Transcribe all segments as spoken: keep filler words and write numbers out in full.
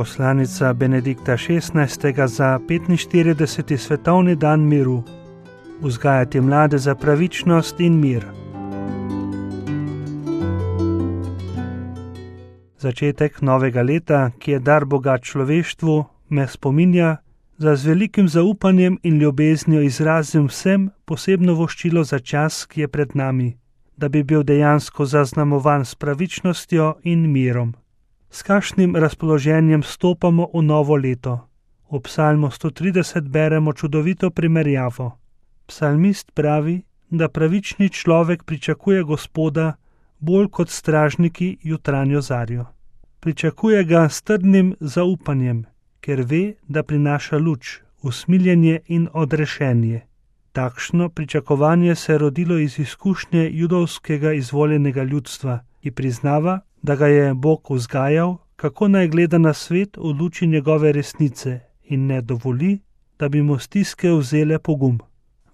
Poslanica Benedikta šestnajstega za petinštirideseti svetovni dan miru. Vzgajati mlade za pravičnost in mir. Začetek novega leta, ki je dar Boga človeštvu, me spominja, da z velikim zaupanjem in ljubeznijo izrazim vsem posebno voščilo za čas, ki je pred nami, da bi bil dejansko zaznamovan s pravičnostjo in mirom. S kakšnim razpoloženjem stopamo v novo leto? V psalmu sto trideset beremo čudovito primerjavo. Psalmist pravi, da pravični človek pričakuje Gospoda bolj kot stražniki jutranjo zarjo. Pričakuje ga s trdnim zaupanjem, ker ve, da prinaša luč, usmiljenje in odrešenje. Takšno pričakovanje se je rodilo iz izkušnje judovskega izvoljenega ljudstva, ki priznava, da ga je Bog vzgajal, kako naj gleda na svet v luči njegove resnice in ne dovoli, da bi mu stiske vzele pogum.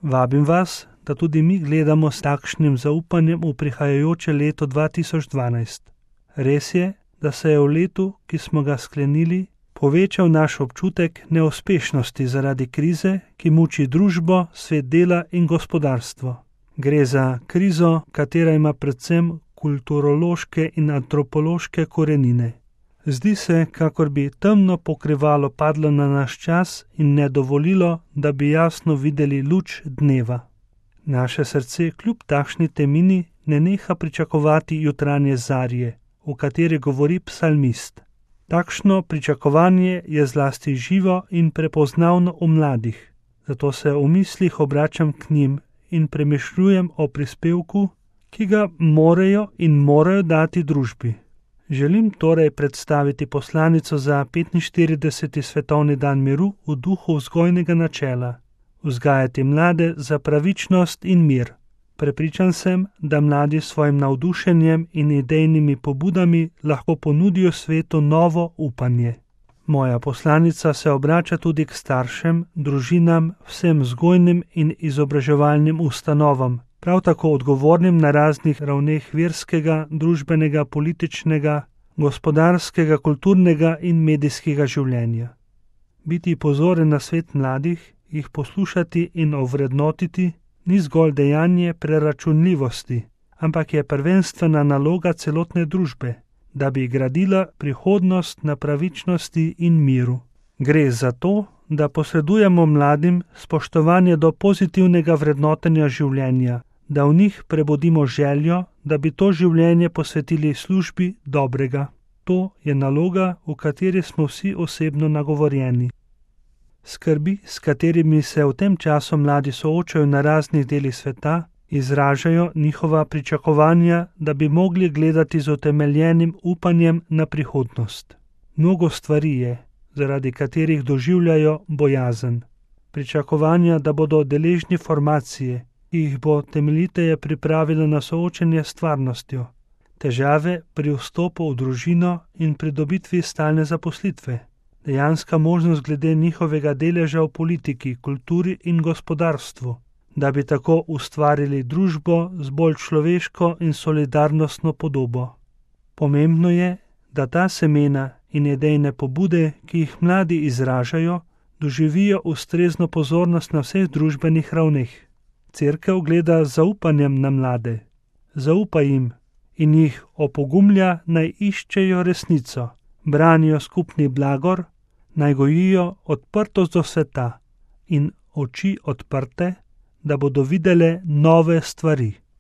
Vabim vas, da tudi mi gledamo s takšnim zaupanjem v prihajajoče leto dva tisoč dvanajst. Res je, da se je v letu, ki smo ga sklenili, povečal naš občutek neuspešnosti zaradi krize, ki muči družbo, svet dela in gospodarstvo. Gre za krizo, katera ima predvsem kulturološke in antropološke korenine. Zdi se, kakor bi temno pokrivalo padlo na naš čas in ne dovolilo, da bi jasno videli luč dneva. Naše srce kljub takšni temini ne neha pričakovati jutranje zarje, o kateri govori psalmist. Takšno pričakovanje je zlasti živo in prepoznavno v mladih, zato se v mislih obračam k njim in premišljujem o prispevku, ki ga morajo in morajo dati družbi. Želim torej predstaviti poslanico za petinštirideseti svetovni dan miru v duhu vzgojnega načela, vzgajati mlade za pravičnost in mir. Prepričan sem, da mladi s svojim navdušenjem in idejnimi pobudami lahko ponudijo svetu novo upanje. Moja poslanica se obrača tudi k staršem, družinam, vsem vzgojnim in izobraževalnim ustanovam, prav tako odgovornim na raznih ravneh verskega, družbenega, političnega, gospodarskega, kulturnega in medijskega življenja. Biti pozoren na svet mladih, jih poslušati in ovrednotiti, ni zgolj dejanje preračunljivosti, ampak je prvenstvena naloga celotne družbe, da bi gradila prihodnost na pravičnosti in miru. Gre za to, da posredujemo mladim spoštovanje do pozitivnega vrednotenja življenja, da v njih prebudimo željo, da bi to življenje posvetili službi dobrega. To je naloga, v kateri smo vsi osebno nagovorjeni. Skrbi, s katerimi se v tem času mladi soočajo na raznih delih sveta, izražajo njihova pričakovanja, da bi mogli gledati z utemeljenim upanjem na prihodnost. Mnogo stvari je, zaradi katerih doživljajo bojazen. Pričakovanja, da bodo deležni formacije, ki jih bo temeljiteje pripravila na soočenje s stvarnostjo, težave pri vstopu v družino in pridobitvi stalne zaposlitve, dejanska možnost glede njihovega deleža v politiki, kulturi in gospodarstvu, da bi tako ustvarili družbo z bolj človeško in solidarnostno podobo. Pomembno je, da ta semena in idejne pobude, ki jih mladi izražajo, doživijo ustrezno pozornost na vseh družbenih ravneh. Cerkev gleda z zaupanjem na mlade, zaupa jim in jih opogumlja, naj iščejo resnico, branijo skupni blagor, naj gojijo odprtost do sveta in oči odprte, da bodo videle nove stvari.